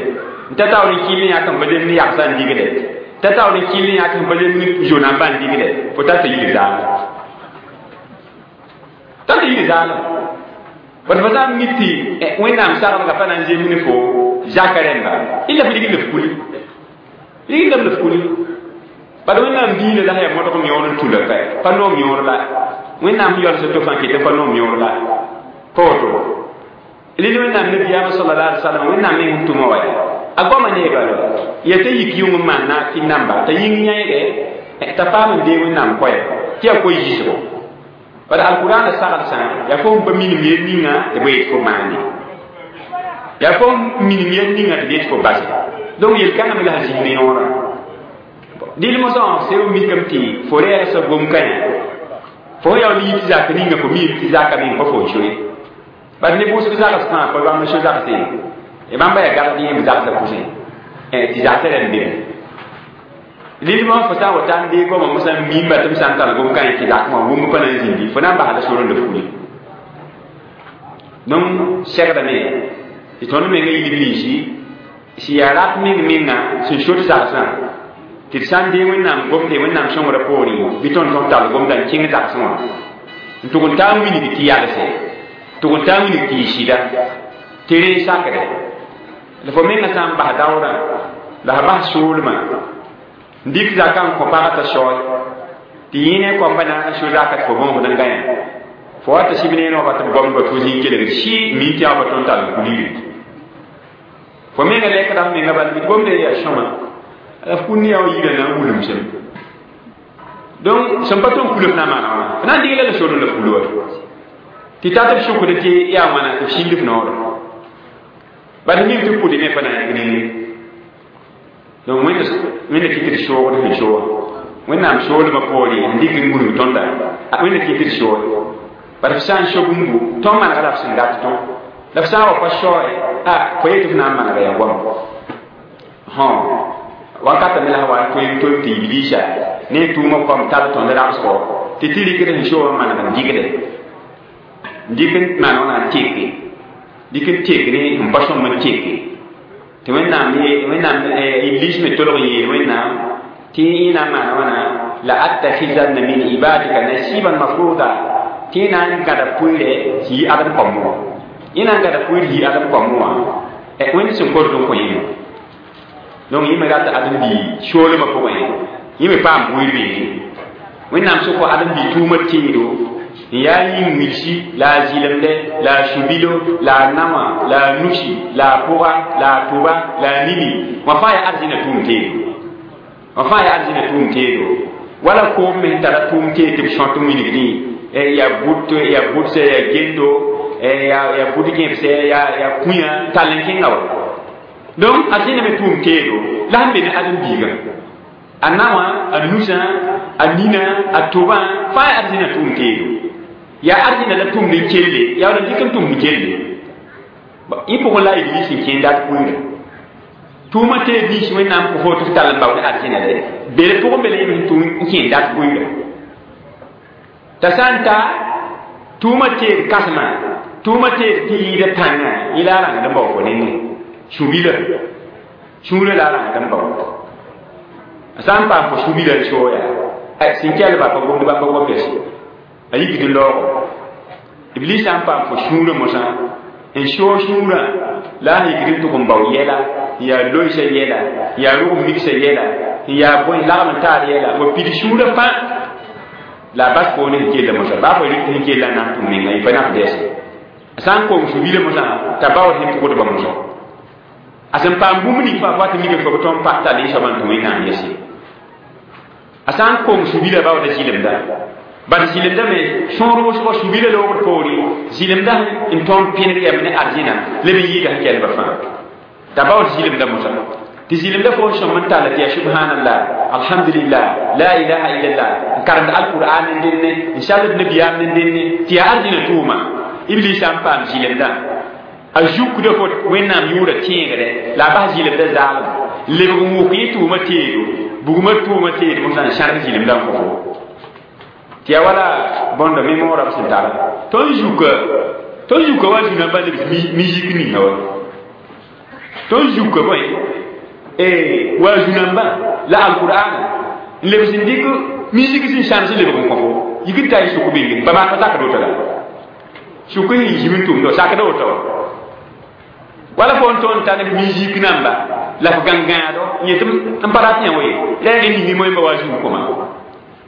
n ta taoor n kɩll yãk sẽn pa zemb ne yagsã n digle n ta taoor n kɩll yãk sẽn pa zemb ne zonãmbã n digle fo ta tɩ yil zaalem ta tɩ yil zaalem bad fo sã n mik tɩ wẽnnaam sagdga pa na n zemb ne fo zaka rẽmba illa f rigl f kuli rigldame la f kuli bad wẽnnaam diinã la sã yaa modg m yõor n tula ka pa noom yõor la wẽnnaam sẽn yaool to fãa ket pa noom yõor la pa woto rɩl wẽnnaam nabiyaamã sallallahu alaihi wasallam wẽnnaam meng sẽn tʋma wa yaa a goamã neeba la ya t'a yik yʋng n maan naafɩ namba t'a yĩng yãeege t'a paam n dee wẽnnaam koɛɛ tɩ yaa koe-yiisgo bad alkurãana sagdsã yaa fo n pa minim yel ninga tɩ b yet fo maande yaa fo n minim yel ninga tɩ b yet fo base donc yel-kãngã me la sẽn zĩnd ne yõorã dɩl mosã wã seo mikame tɩ fo rɛɛsã gom-kãyã fo sẽn yaool yit zak ninga fo miime tɩ zaka meng pa fo n soe bad ne bʋʋsg zags fãa pa bãmb so zagse ye bãmba yaa gagd yẽmb zagsã pʋsẽ tɩ zagsã rãmb beme lilmã fo sã n wa ta n dee goamã mosã n miimba tɩ m sã n tall gom-kãyã tɩ zak wã wʋmb pa na n zĩndi fo na n basda sor n la fuli donc segdame tɩ tõnd menga yilg ninsi sẽn yaa rat meng menga sẽn sot zagsã tɩ d sã n dee wẽnnaam gomde wẽnnaam sõngrã poorẽ bɩ tõnd tõnd tall gomda n kẽng zagsẽ wã n tʋg n taa n wilg tɩ yalse tʋg n taa n wilg tɩ yɩ sɩda tɩ ree sakdɛ la fo menga sã n bas daoodã la f bas soolmã n dɩk zakã n kõ pagã t'a saoe tɩ yẽ ne koamba na n so zaka tɩ fo bõosd n gãyã fo wa tɩ sɩb neene wã pa tɩ b goamdba tɩ fo zĩig kelgd sɩ mi tɩ yã pa tõnd tall n kuligre fo menga lɛkda f menga bala tɩ gomda yaa sõma la f kũn ne yã wã yirã na n wilem sẽm donc sẽn pa tõnd kul f na n maana wãna f na n dɩgla la sor n la f kulo wa tɩ tat b sʋkd tɩ yaa wãna tɩ f sĩnd f noorã bad mim tɩ pʋdɩ me pa na yãg ninge donc wẽnna kɩ tɩ d soogd sẽn sooga wẽnnaam soolmã poorẽ n dɩk n gũnug tõnda wẽnna kɩ tɩ d soog bad f sã n so bũmbu tõnd manega la f sẽn dat tõ la f sã n wa pa saoe a fo yetɩ f na n manega yaa goam hõ wakata me la sã wa n tõe n tom tɩ iblisa ne tʋʋmã koam tar tõnd rãbsgɔ tɩ tɩ rɩkd sẽn soogã maneg n dɩgde n dɩk n maan wãna n teke dɩk n tek ne n pa sõmb n teke tɩ wẽnnaam wẽnnaam iblis me tolg n yeel wẽnnaam tɩ yẽ na n maana wãna la attakhizanna min ibadika nasiban mafruda tɩ yẽ na n gãda pʋɩɩrɛ sẽn yi adem koamb wã yẽ na n gãda pʋɩɩr yi adem koamb wã wẽnd sẽn kord n kõ yẽme donc yẽ me rata adem-bii soolmã pʋgẽ yẽ me paam bʋɩɩr beene wẽnnaam sʋkɔ adem-bii tʋʋmã teedo n yaa yĩng wilsi la a zɩlemdɛ la a subilo la a naoã la a nusi la a pʋga la a tʋba la a nini wã fãa yaa arzĩna tʋʋm teedo wã fãa yaa arzĩna tʋʋm teedo Wala koom me tara tʋʋm tee tɩ b sõt n wilgdẽ yaa bʋt yaa bʋdse yaa gendo yaa yaa bʋd gẽbsɛ yaa yaa kũyã tall n kẽnga wa donc arzẽna me tʋʋm teedo la sẽn be ne ãdem-biigã a naowã a nusã a nina a tʋbã fãa yaa arzẽna tʋʋm teedo yaa arzẽna la tʋmd n kelle yaa wala dɩk n tʋmd n kelle yẽ pʋgẽ la iblis n kẽenda d pʋɩɩrã tʋʋmã teed nins wẽnnaam kõ fo tɩ f tall n bao ne arzẽna dɛ bere pʋgẽ be la yẽ sẽn tʋm n kẽenda d pʋɩɩrã t'a sã n ta tʋʋmã teed kãsmã tʋʋmã teed tɩ yɩɩda pãngã yẽ la a rãngd n bao fo nengẽ sũ-bila sũurã la a rãngd n bao a sã n paam fo sũ-bila n sooya sẽn kelba pa gomd bãmba gomda se a yikd n laoogo iblis sã n paam fo sũurã mosã n soog sũurã la a yikd n tʋg n bao yɛla n yaa loeesã yɛla n yaa rʋg migsã yɛla n yaa bõe lagm n taar yɛla wa pid sũurã fãa la a bas poone sẽn kella mosã baa fo rɩk sẽn kella n na n tʋm menga yẽ pa na f dɛɛse a sã n kong sũ-bilã mosã t'a baood sẽn tʋgdba mosã a sẽn paam bũmb ning fãa fo tɩ mika fo b tõnd pa tall yẽ soabã n tũ wẽnnaam yɛse a sã n kong sũ-bilã baooda zɩlemda bad zɩlemda me sõor wʋsgo sũ-bilã loogd poore zɩlemda n tõnd pẽneg yam ne arzẽna leb n yɩɩda sẽn kelba fãa t'a baood zɩlemda mosã tɩ zɩlemda fo n sõm n talla tɩ yaa subhanallah alhamdulillah la ilaha illallah n karemd alqur'an n dẽnne n sald nabiyaam n dẽnne tɩ yaa arzẽna tʋʋma iblis sã n paam zɩlemda a zukda fo wẽnnaam yʋʋra tẽegdɛ la a bas zɩlemda zaalem lebg n wʋk yẽ tʋʋma teedo bugmã tʋʋma teed mosã n sãrg zɩlemda n kõ fo tɩ yaa wala bõndo mémoora b sẽn tara tõnd zuka tõnd zuka wa zũnãmbã lebs musique ninga wa tõnd zuka bõe wa zũnãmbã la alqur'ana n lebs n dɩk musique sẽn sãms n lebg n kõ fo yik n ta y sʋk bĩng ba maan pa sakd woto la sʋk sẽn zim n tʋmda sakda woto wa wala fo n tõnd ta ne musique namba la f gãngãado n yetɩ n pa rat yã we rɛɛg n ningi moẽmba wa zũu kõma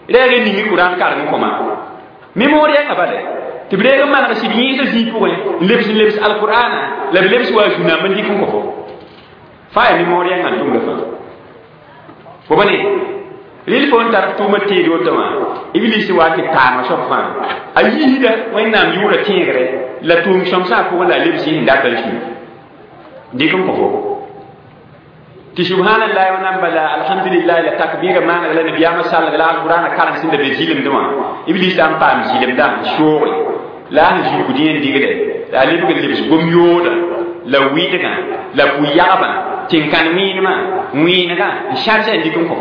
rɛɛg n ningi kurãn karem kõma mémoor yɛnga bale tɩ b reeg n maneg sɩd yẽesã zĩig pʋgẽ n lebs n lebs alqur'ana la b lebs wa zũ-namba n dɩk n kõ fo fãa yaa mémoor yɛnga n tʋmda fãa fo ba ne rɩl fo n tar tʋʋmã teed woto wã iblis wa tɩ paama soab fãa a yiisda wẽnnaam yʋʋra tẽegre la tʋʋm sõmsã pʋgẽ la a lebs yẽ sẽn dat n sũ dɩk n kõ fo tɩ subhanallah wa namba la alhamdulillah la takbira maaneg la nabiyaamã salg la alqur'ana karem sẽn da be zɩlemdẽ wã iblis sã n paam zɩlemdã n sooge la a sẽn zukd yẽ n digde la a lebg n lebs gom-yoodã la wɩdgã la pʋ-yagbã tẽn-kãn wẽenemã wẽenegã n sãrsã n dɩk n kõ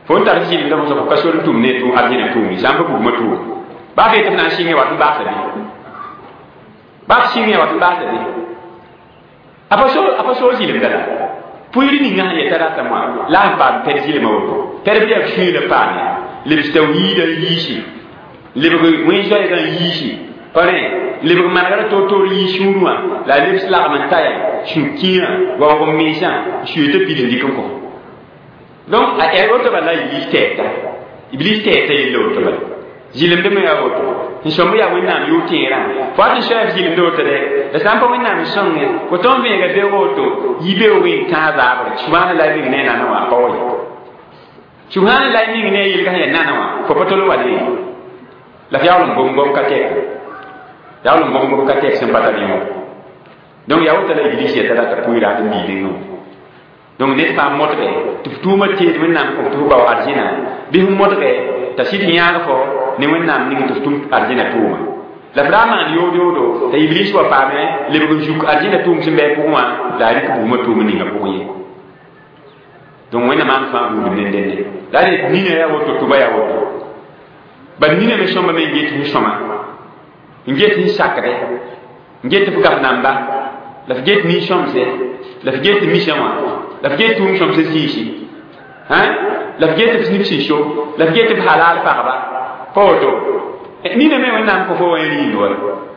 fo n tar zɩlemdã mosã fo ka sor n tʋm ne tʋ arzẽna tʋʋm sã n pa bugmã tʋʋm baa f yetɩ f na n sɩngẽ wat n baasa bɩ baa f sɩngẽ wat n baasa bɩ a pa so a pa soog zɩlemda la pʋɩɩr ninga sẽn yeta rata moã la a sẽn paam pɛd zɩlmã woto pɛd bɩ yaa sũyã paame lebs tawhiidã n yiisi lebg wẽn-zoɛɛgã n yiisi pa rẽ lebg manegrã toor-toor yii sũurẽ wã la a lebs lagm n ta yaa sũ-kĩirã waoog n mensã n suye tɩ pid n dɩk n kõ donc a ɛ woto bala iblis tɛɛta iblis tɛɛta yella woto bala zɩlemdẽ me yaa woto n sõmb yaa wẽnnaam yʋʋr tẽerã fo tɩ soɛɛf zɩlemdẽ woto dɛ la sã n pa wẽnnaam n sõnge fo tõnd vẽega beoog woto yi beoog n tãag zaabre subhanallah meng ne a nana wã pa wa ye subhanallah meng ne a yelga sẽn yaa nana wã fo pa tol n wa ne la f yaool n gom-gom ka tɛk yaool n gom-gom ka tɛk sẽn pa tar yẽ donc yaa woto la iblis yeta rata pʋɩɩra tɩ biilengã donc ned fãa modge tɩ f tʋʋmã teed wẽnnaam kõ tɩ f bao arzẽna bɩ f modge t'a sɩd yãag fo ne wẽnnaam ning tɩ f tʋm arzẽna tʋʋma la f ra maan yood yoodo t'a iblis wa paame lebg n zuk arzẽna tʋʋm sẽn bɩ a pʋgẽ wã la a rɩk bugmã tʋʋm ninga pʋgẽ ye donc wẽnnaam maan fãa buudum ne dẽnne la d nina yaa woto tʋba yaa woto bad nina me sõmba me n get sẽn sõma n get sẽn sakdɛ n get f gaf namba la f get nin-sõmse la f get misã wã la f get tʋʋm sõmsã zĩisi la f get f nib sẽn so la f get f halal pagba pa woto nina me wẽnnaam kõ fo wã rĩnd wa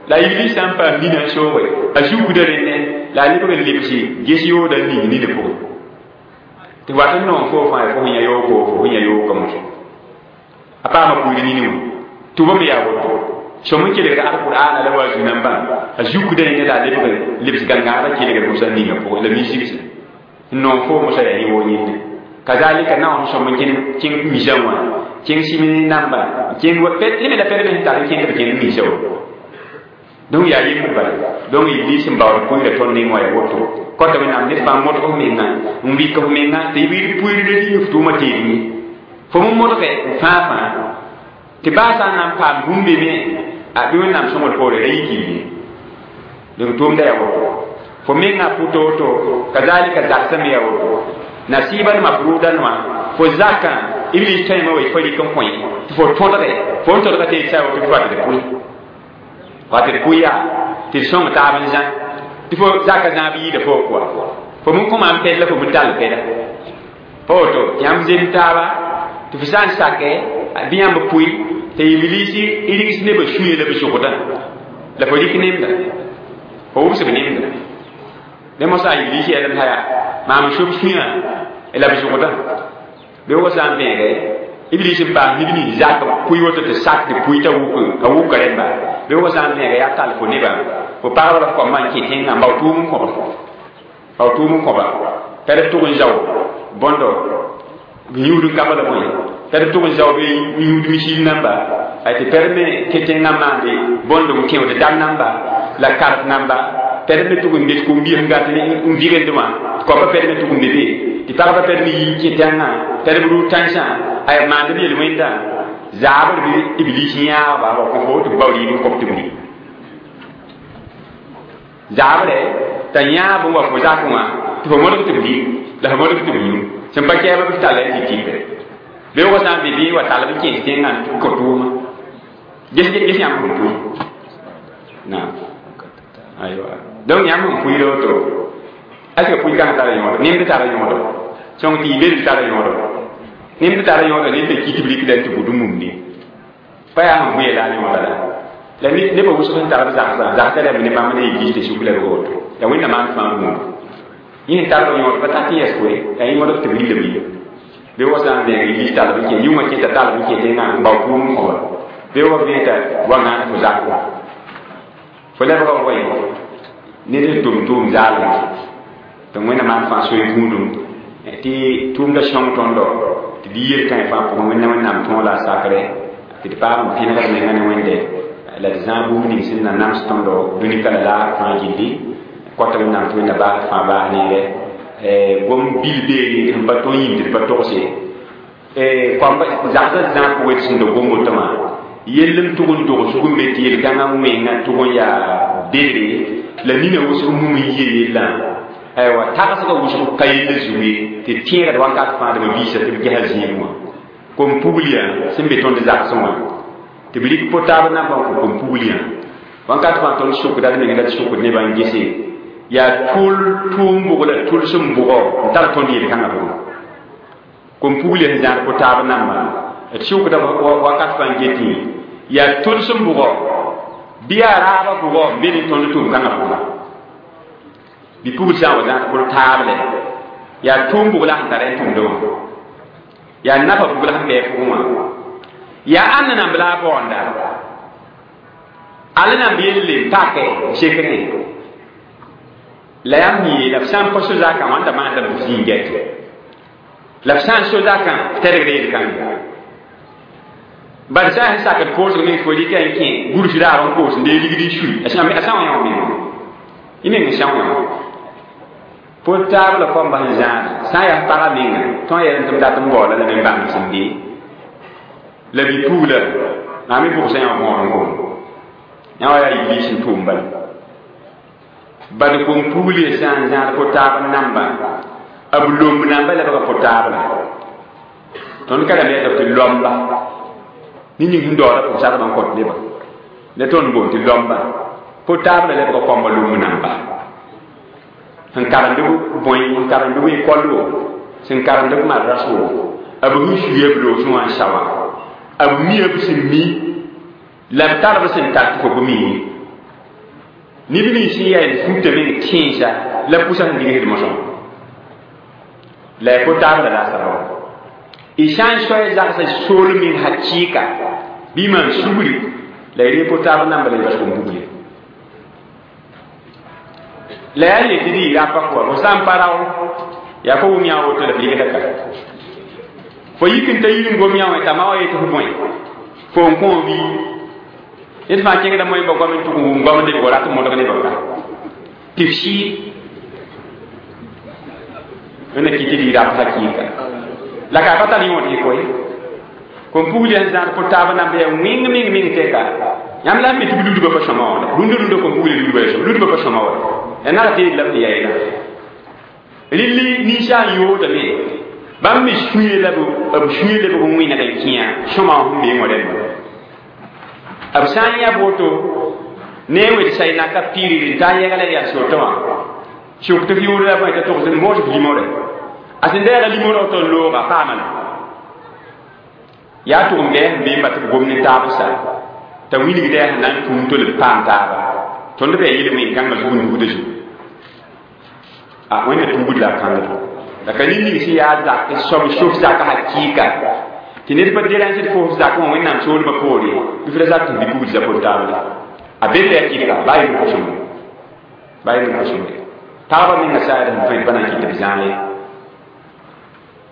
la iblis sã n paam nina n sooge a zukda rẽnne la a lebg n lebsi ges yooda n ning nina pʋgẽ tɩ wat n noom foo fãa fo sẽn yã yooko fo sẽn yã yookã mosã a paama pʋɩɩr nini wã tʋba me yaa woto sõm n kelgd alqur'ana la wa zu-nambã a zukda rẽnne la a lebg lebs gãngãagã kelgd mosã ninga pʋgẽ la misigse n noom foo mosã yaa yẽ woo yẽnde Kazalika na on so mun kin kin mission wa kin simini namba kin wa pet ni la pet ni tar kin de kin mission donc ya yim bala donc iblis mbaw ko ira ton ni mo ya woto ko to nam ne fa mo to menga mbi ko menga te bi puiri de ni fu ma te ni fo mo mo ke fa fa te ba sa nam pa bumbe me a bi nam so mo ko re yi ki donc to nda ya woto fo menga puto to kazalika zaksam ya woto nasiban mafrudan wa fo zaka iblis tay mo fo li kon koy fo to de fo to de te sa woto fo de pui wa te puya te song ta ban jan ti fo zaka zan bi de fo quoi fo mun ko man pe la fo mun dal pe la fo to yam zem ta ba ti fo san sake bi yam pui te iblisi iligis ne ba shuye la bi shukuta la fo dik nemda fo wubse nemda de mo sa iblisi elam haya ma mo shub shuya la bi shukuta be wo san be iblis pa ni ni zaka pui woto te sak de pui ta wuku ka wuku remba be wo san be ya tal fo ne ba fo parla la ko man ki tinga ba tu mun ko ba tu mun ko ba pere tu kun jaw bondo nyudu kabala moy pere tu kun jaw be nyudu misil namba ay te permet ke tinga mande bondo mu kew de dam namba la carte namba pere tu kun de ko mbi ngati ni un virendement ko ba pere tu kun de ti parba pere yi ki tinga pere bu tansa ay mande bi wenda zabar bi iblis nya ba ba ko ko to bawli ni ko to bi zabre ta nya bu wa ko zakuma to mo to bi la mo to bi sem ba ke ba bi tale ti ti be wo sa bi bi wa tale bi ke tinga ko tuma gis gis yam ko tu na aywa donc yam ko iro to est-ce que puy kan tara yodo nim de tara yodo song ti be tara yodo nim de tara yodo ni be kiti blik den to budum ni pa ya mu ye la ni wala la ni ne ba wusu tara za za za ta la ni ma ne yi ti shukula go to ya winna man fa mu ni tara yodo pa ta ti es ko ya yi mo do te bi le bi be wo sa be yi ta la ke yuma ke ta ta la ke te na ba ku mu ko be wo be ta wa na ko za ko fo la ba ko yi ni de tum tum za la to wẽnna maan fãa soe gũudum tɩ tʋʋmda sõng tõndo tɩ d yel kãe fãa pʋgẽ wẽnna wẽnnaam tõog la a sakre tɩ d paam n pẽnegd menga ne wẽnde la d zãag bũmb ning sẽn na nams tõndo dũni ka la laag fãa gilli kɔta wẽnnaam tɩ wẽnna baasd fãa baas neere gom bil beene sẽn pa tõe yĩm tɩ d pa togse koamba zagsã zãag pʋgẽ tɩ sẽn da gom woto wã yell n tʋg n dog sug n be tɩ yel-kãngã wẽnga tʋg n yaa bedre la nina wʋsg mum n yie yellã aywa tagsga wʋsg ka yella zugu tɩ tẽegd wakat fãa dma biisa tɩ b gesa zĩig wã kom pugliyã sẽn be tõnd zagsẽ wã tɩ b rɩk po-taab nambã n kõ kom pugliyã wakat fãa tõnd sʋkda d meng la d sʋkd nebã n gese yaa tʋl tʋʋm bʋg la tʋl sẽn bʋgɔ n tar tõnd yel-kãngã pʋgẽ kom pugliyã sẽn zãad po-taab nambã d sʋkda wakat fãa n getẽ yaa tʋl sẽn bʋgɔ bɩ yaa raabã bʋgɔ n be ne tõnd tʋʋm-kãngã pʋgã bi pugl sã n wa zãad pʋl taable yaa tʋʋm bʋg la sẽn tar n tʋmdẽ wã yaa nafa bʋg la sẽn bɩ pʋgẽ wã yaa ãnna namb la a baoonda ala namb yelle n pake sekrẽ la yãmb yee la f sã n pa so-zakã wãnda maandame tɩ f zĩig gɛt la f sã n so-zakã f tɛrgd yel-kãnga bad sã n sakd koosg meng fo rɩka n kẽ gurs raar n koos n dee ligd n sui a sã wã yã menga y meng n sã wã po-taab la kõmba sẽn zãad sã n yaa pagã menga tõe n yɛl tɩ m dat n baoola la me n bãmb sẽn be la bi-pugla maa me bʋgsã yã võor n gom yã wa yaa iblis n tʋʋm bala bad kom-pugl sã n zãad po-taab namba b lomb namba lebga po-taab la tõnd ka rãmb yɛlb tɩ lomba ne ning sẽn daooda pʋg-sadbã n kõt nebã la tõnd boond tɩ lomba po-taab la lebga kõmba lomb namba sẽn karemd bõe n karemd b école wo sẽn karemd b madras wo b sẽn suya b loosẽ wã n sawa b mia b sẽn mi la b tar b sẽn tar tɩ fo bɩ mi neb nins sẽn yaa d futa meng tẽensa la pʋsa sẽn digsd mosã la ya po-taab la la saba y sã n soa zagsã sool meng hakɩɩka bɩ maan sugri la y ree po-taab namba la y bas kom-bugle la yaa yetɩ d yɩ rapa kɔa fo sã n pa rao yaa fo wʋm yã woto la f rɩgda ka Fo yik n ta yir n gom yã wã t'a ma wa yetɩ f bõe fo n kõ bi ned fãa kẽngda moẽ ba goam n tʋg n wʋm goam n lebg rat n modg ne ba ka tɩ f sɩɩd wẽnna kɩ tɩ d y rap hakɩɩka la ka pa tar yõod yɩ koe kom pugl yaa n zãad pʋ taab nan yaa wẽng meng meng tɛka yãmb la n mi tɩ b ludbã pa sõma wã rũndã rũndã kom pugl ludbã ya sõm ludbã pa sõma wã ya nag tɩ la b ya yeelã rɩlli ninsã n yoodame bãmb me sũye la b sũye lebg n wẽneg n kẽa sõma wã sẽn beẽ wã rẽmba b sã n yã woto ne wed say naka pirir n ta n yɛgla yaa soto wã suk tɩ f yʋʋr la bõe t'a togs n moos f limore a sẽn deega limorã woto n looga paama la yaa tʋg n bɛɛ sẽn beem tɩ b gom ne taab sa t'a wilgda yaa sẽn na n tũum tol b paam taaba tõnd bɩ yel wẽn-kãngã zug n dugda zugu a wẽnna tugd la a kãngda la ka ning sẽn yaa zak soab sof zak hakɩɩka tɩ ned pa déranged fo f zak wã wẽnnaam soolmã poore bɩ f ra zak tɩ f bɩ pugd zapot taabda a be tɩ a kɩtka baa yel kosem baa yel kosem pagba menga saad sẽn tõe pa na n kɩt b zãag ye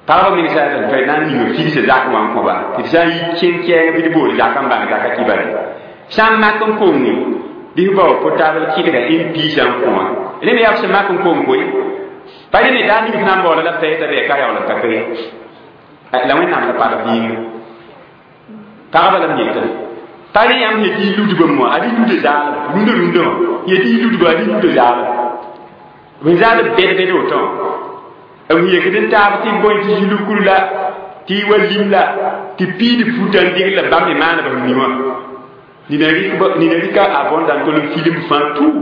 pagba meng saad sẽn tõe na n ning figsa zak wã n kõba tɩ d sã n yi kẽn kɛɛng bɩ d bool zak n bãng zaka kibare sã n mak n konge bɩ f bao potable kɩdga n piisã n kõ wã rẽ me yaa f sẽn mak n kong koe pa rẽ me daa ning f na n baoola la fɛɛta bɩ ka yaool n ka koe la wẽnnaam la pag vɩɩnga pagba la m yetã pa rẽ yãmb yetɩ y ludbã wã ad y luda zaalem rũndã rũndã wã yetɩ y ludba ad y luda zaalem b zaal bɛd bɛd woto b yekd n taab tɩ bõe tɩ zulkur la tɩ wa lim la tɩ piid futa n dɩgl la bãmb me maana b mi wã nina rɩka abondant tol n film fãa tout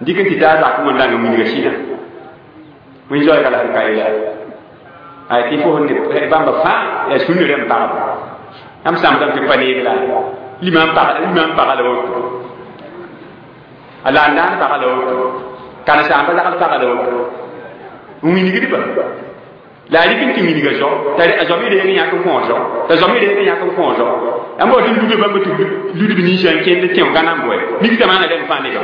dɩk n tɩ taa zak wã n dang n wilga sɩdã wẽn zoɛɛga la sẽn ka yeela ay tɩ fo sẽn bãmba fãa yaa sũnd rẽmb pagba yãmb sãmbdame tɩ pa neeg la lima n paga la woto a la n daan paga la woto karen-saamba zagl paga la woto n wilgdba la a rɩk n tɩ wilga zao t'a zao me reeg n yãk n kõ zao t'a zao me reeg n yãk n kõ zao yãmb bao tɩ ludb bãmba tɩ ludb ninsã n kẽnd tẽo gãna n bʋɛ mikda maana rẽmb fãa nebã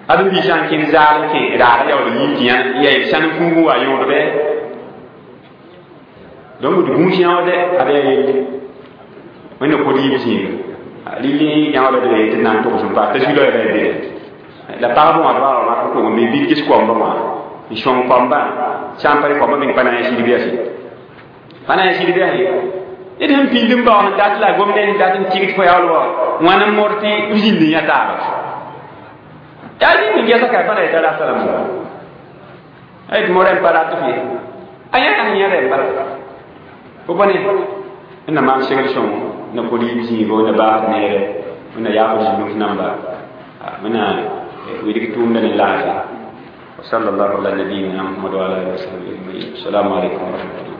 ad n biisã n kẽnd zaal n kẽ raag yaool n yĩn tɩ ya sãn n fuug n wa yõodbɛ donc d gũus yãoode ad yaa yelle wẽnna kod yiib zĩiga rɩl yãooda d tɩ d na n togs n paas t'a zu-loɛɛga ya bere la pagb wã d wa mak n kong me bɩ ges koamba wã n sõng koambã sã n pa rɩ koambã meng pa na n yã sɩd biasẽ pa na n yã sɩd biasẽ ned sẽn pĩnd n bao sẽn dat la gomdã sẽn dat n tɩgd fo yaool wa wãn n mod tɩ b zĩnd n yã taaba yaa zĩnd n gɛsa ka pa na yetã rata la mo a yetɩ mo rẽmb pa rat f ye a yã sẽn yã rẽmba fo bõne na maan segl sõngo na kod yiib zĩigo na baasd neere na yaafd zĩnuf namba wẽna wilg tʋʋmda ne laafɩ وصلى الله على نبينا محمد وعلى اله وصحبه اجمعين السلام عليكم ورحمه الله.